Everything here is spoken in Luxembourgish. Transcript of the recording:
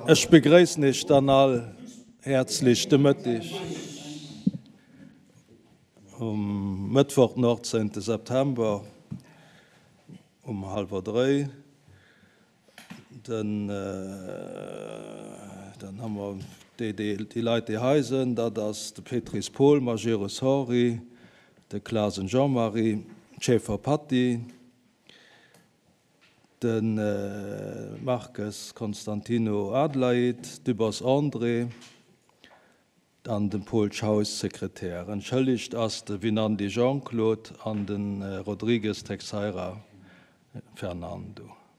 Ech begréissen Iech dann all häerzlech de Mëtteg um Mëttwoch den 18 September um hallwer dréi. Den, dann hu mer déi, déi Leit, déi hei sinn, dat ass de Petris Paul, Majerus Henri, de Clasen Jean-Marie, d'Schaeffer Patty, de Marques Constantino Adelaide, Dübbers André an de Paul Schaus, Sekretär. Entschëllegt ass de Winandy Jean-Claude an de Rodrigues Texeira Fernando.